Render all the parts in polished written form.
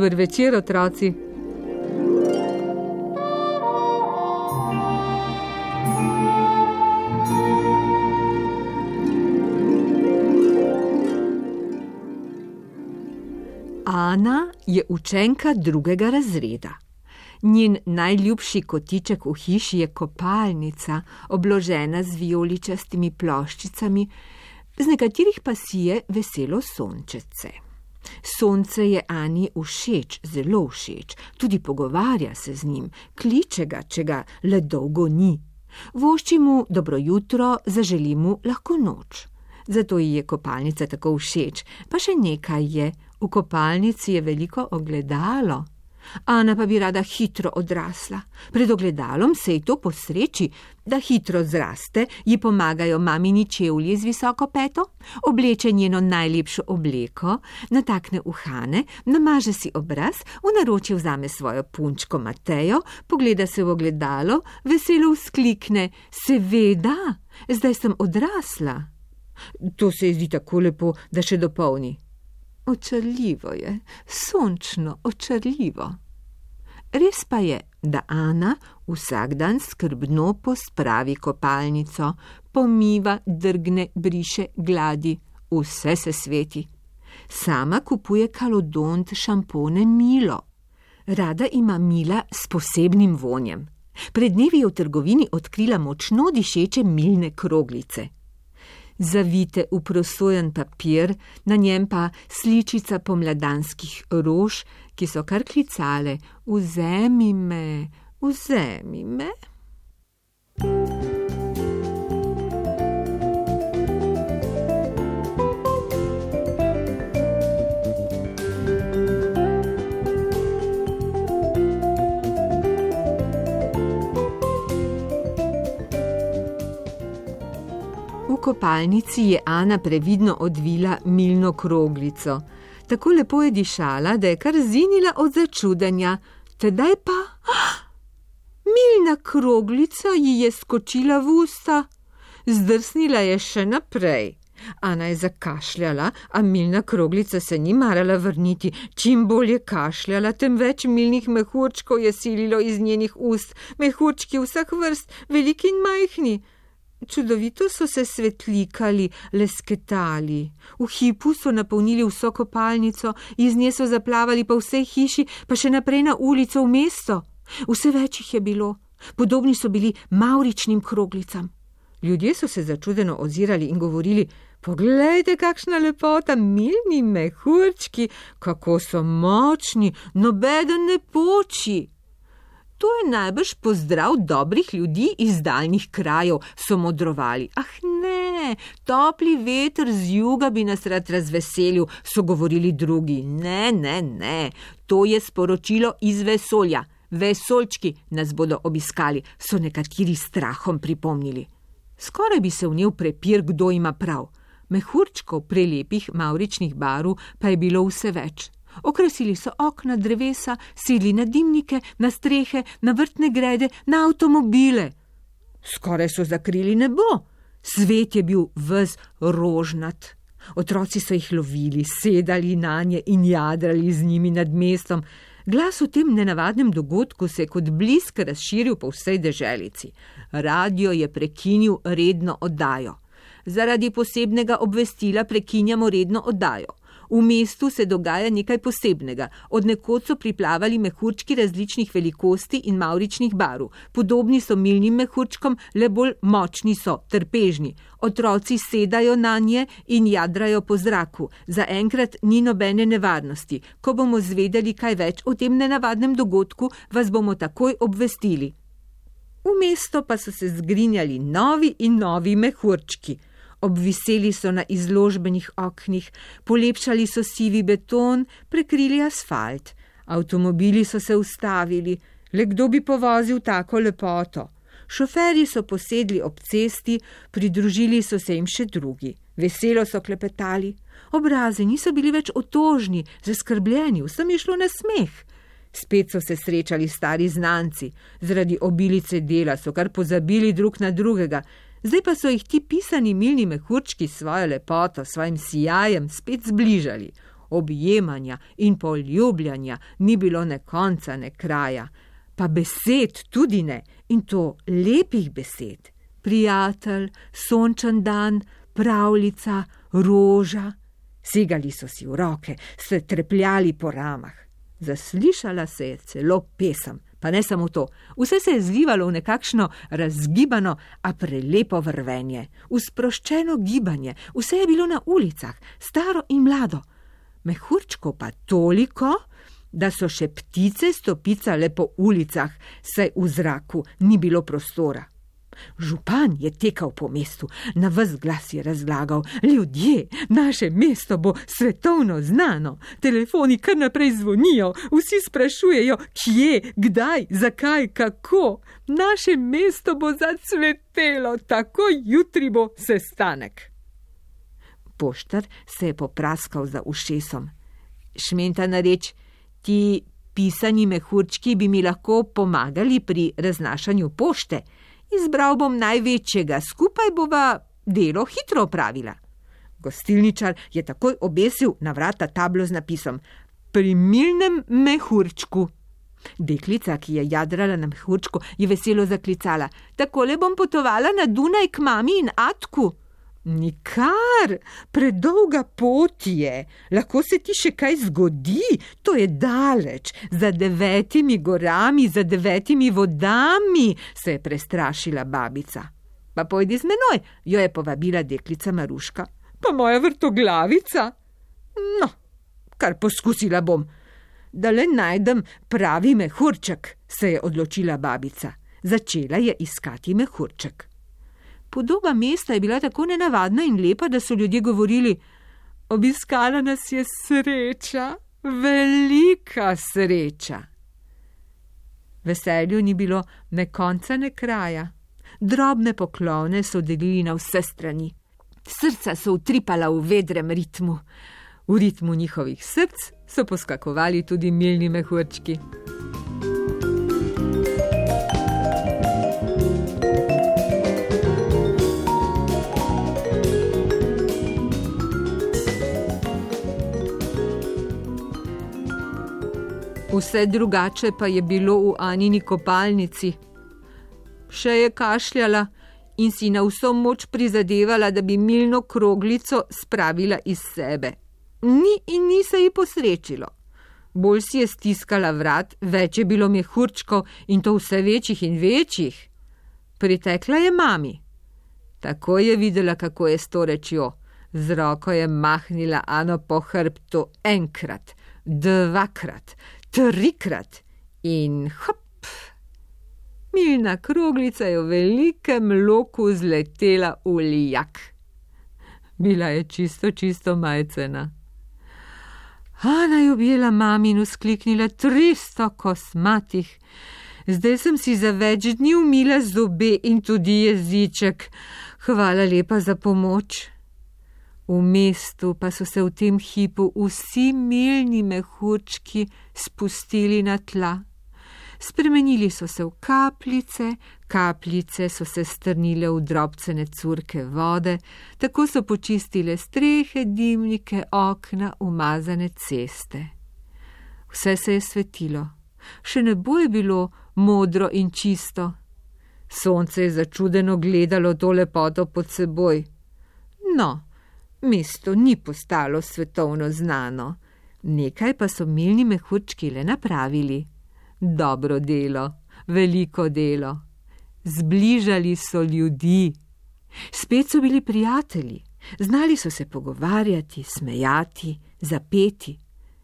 Dober večer, otroci. Ana je učenka 2. razreda. Njen najljubši kotiček v hiši je kopalnica, obložena z vijoličastimi ploščicami, z nekaterih pa sije veselo sončece. Sonce je Ani všeč, zelo všeč, tudi pogovarja se z njim, kliče ga, če ga le dolgo ni. Vošči mu dobro jutro, zaželi mu lahko noč. Zato ji je kopalnica tako všeč, pa še nekaj je, v kopalnici je veliko ogledalo. Ana pa bi rada hitro odrasla. Pred ogledalom se ji to posreči, da hitro zraste, ji pomagajo mamini čevlji z visoko peto, obleče njeno najlepšo obleko, natakne uhane, namaže si obraz, v naročje vzame svojo punčko Matejo, pogleda se v ogledalo, veselo vzklikne: seveda, zdaj sem odrasla. To se ji zdi tako lepo, da še dopolni: očarljivo je, sončno očarljivo. Res pa je, da Ana vsak dan skrbno pospravi kopalnico, pomiva, drgne, briše, gladi, vse se sveti. Sama kupuje kalodont, šampone, milo. Rada ima mila s posebnim vonjem. Pred dnevi je v trgovini odkrila močno dišeče milne kroglice. Zavite v prosojen papir, na njem pa sličica pomladanskih rož, ki so kar klicale: vzemi me, vzemi me. V kopalnici je Ana previdno odvila milno kroglico. Tako lepo je dišala, da je kar zinila od začudenja. Tedaj pa milna kroglica ji je skočila v usta. Zdrsnila je še naprej. Ana je zakašljala, a milna kroglica se ni marala vrniti. Čim bolj je kašljala, tem več milnih mehurčkov je sililo iz njenih ust. Mehurčki vseh vrst, veliki in majhni. Čudovito so se svetlikali, lesketali. V hipu so napolnili vso kopalnico, iz nje so zaplavali po vsej hiši, pa še naprej na ulico v mesto. Vse več jih je bilo. Podobni so bili mavričnim kroglicam. Ljudje so se začudeno ozirali in govorili: poglejte, kakšna lepota, milni mehurčki, kako so močni, nobeden ne poči. To je najbrž pozdrav dobrih ljudi iz daljnih krajev, so modrovali. Ah ne, topli veter z juga bi nas rad razveselil, so govorili drugi. Ne, to je sporočilo iz vesolja. Vesoljčki nas bodo obiskali, so nekateri strahom pripomnili. Skoraj bi se vnel prepir, kdo ima prav. Mehurčkov prelepih mavričnih barv pa je bilo vse več. Okrasili so okna, drevesa, sedli na dimnike, na strehe, na vrtne grede, na avtomobile. Skoraj so zakrili nebo. Svet je bil ves rožnat. Otroci so jih lovili, sedali nanje in jadrali z njimi nad mestom. Glas o tem nenavadnem dogodku se je kot blisk razširil po vsej deželici. Radio je prekinil redno oddajo. Zaradi posebnega obvestila prekinjamo redno oddajo. V mestu se dogaja nekaj posebnega. Od nekod so priplavali mehurčki različnih velikosti in mavričnih barv. Podobni so milnim mehurčkom, le bolj močni so, trpežni. Otroci sedajo na nje in jadrajo po zraku. Zaenkrat ni nobene nevarnosti. Ko bomo zvedeli kaj več o tem nenavadnem dogodku, vas bomo takoj obvestili. V mesto pa so se zgrinjali novi in novi mehurčki. Obviseli so na izložbenih oknih, polepšali so sivi beton, prekrili asfalt. Avtomobili so se ustavili, le kdo bi povozil tako lepoto. Šoferji so posedli ob cesti, pridružili so se jim še drugi. Veselo so klepetali. Obrazi niso bili več otožni, zaskrbljeni, vsem je šlo na smeh. Spet so se srečali stari znanci. Zaradi obilice dela so kar pozabili drug na drugega. Zdaj pa so jih ti pisani milni mehurčki s svojo lepoto, svojim sijajem spet zbližali. objemanja in poljubljanja ni bilo ne konca, ne kraja. Pa besed tudi ne, in to lepih besed. Prijatelj, sončen dan, pravljica, roža. Segali so si v roke, se trepljali po ramah. Zaslišala se je celo pesem, pa ne samo to. Vse se je zlivalo v nekakšno razgibano, a prelepo vrvenje, v sproščeno gibanje. Vse je bilo na ulicah, staro in mlado. Mehurčkov pa toliko, da so še ptice stopicale po ulicah, saj v zraku ni bilo prostora. Župan je tekal po mestu, na ves glas je razlagal: ljudje, naše mesto bo svetovno znano, telefoni kar naprej zvonijo, vsi sprašujejo, kje, kdaj, zakaj, kako. Naše mesto bo zacvetelo, tako jutri bo sestanek. Poštar se je popraskal za ušesom. Šmentana reč: ti pisani mehurčki bi mi lahko pomagali pri raznašanju pošte. Izbral bom največjega, skupaj bova delo hitro opravila. Gostilničar je takoj obesil na vrata tablo z napisom: pri milnem mehurčku. Deklica, ki je jadrala na mehurčku, je veselo zaklicala: takole bom potovala na Dunaj k mami in atku. Nikar, predolga pot je, lahko se ti še kaj zgodi, to je daleč, za 9 gorami, za 9 vodami, se je prestrašila babica. Pa pojdi z menoj, jo je povabila deklica Maruška. Pa moja vrtoglavica? No, kar poskusila bom. Da le najdem pravi mehurček, se je odločila babica. Začela je iskati mehurček. Podoba mesta je bila tako nenavadna in lepa, da so ljudje govorili: obiskala nas je sreča, velika sreča. Veselju ni bilo ne konca, ne kraja. Drobne poklone so delili na vse strani. Srca so utripala v vedrem ritmu. V ritmu njihovih src so poskakovali tudi milni mehurčki. Vse drugače pa je bilo v Anini kopalnici. Še je kašljala in si na vso moč prizadevala, da bi milno kroglico spravila iz sebe. Ni in ni se ji posrečilo. Bolj si je stiskala vrat, več je bilo mehurčkov in to vse večjih in večjih. Pritekla je mami. Tako je videla, kako je s to rečjo. Z roko je mahnila Ano po hrbtu enkrat, dvakrat, trikrat in hop! Milna kroglica je v velikem loku zletela v lijak. Bila je čisto majcena. Ana je objela mami in vzkliknila: 300 kosmatih. Zdaj sem si za več dni umila zobe in tudi jeziček. Hvala lepa za pomoč. V mestu pa so se v tem hipu vsi milni mehurčki spustili na tla. Spremenili so se v kapljice, kapljice so se strnile v drobcene curke vode, tako so počistile strehe, dimnike, okna, umazane ceste. Vse se je svetilo, še nebo je bilo modro in čisto. Sonce je začudeno gledalo to lepoto pod seboj. No, mesto ni postalo svetovno znano, nekaj pa so milni mehurčki le napravili. Dobro delo, veliko delo. Zbližali so ljudi. Spet so bili prijatelji, znali so se pogovarjati, smejati, zapeti,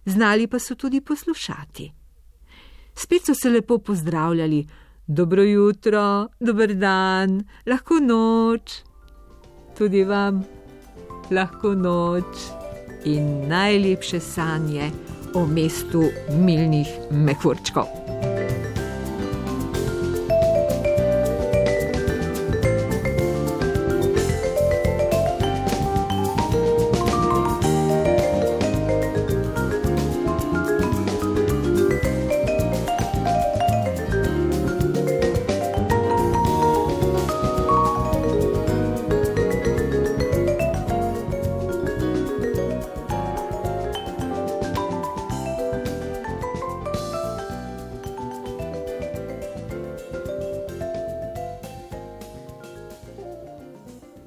znali pa so tudi poslušati. Spet so se lepo pozdravljali: dobro jutro, dober dan, lahko noč. Tudi vam lahko noč in najlepše sanje o mestu milnih mehurčkov.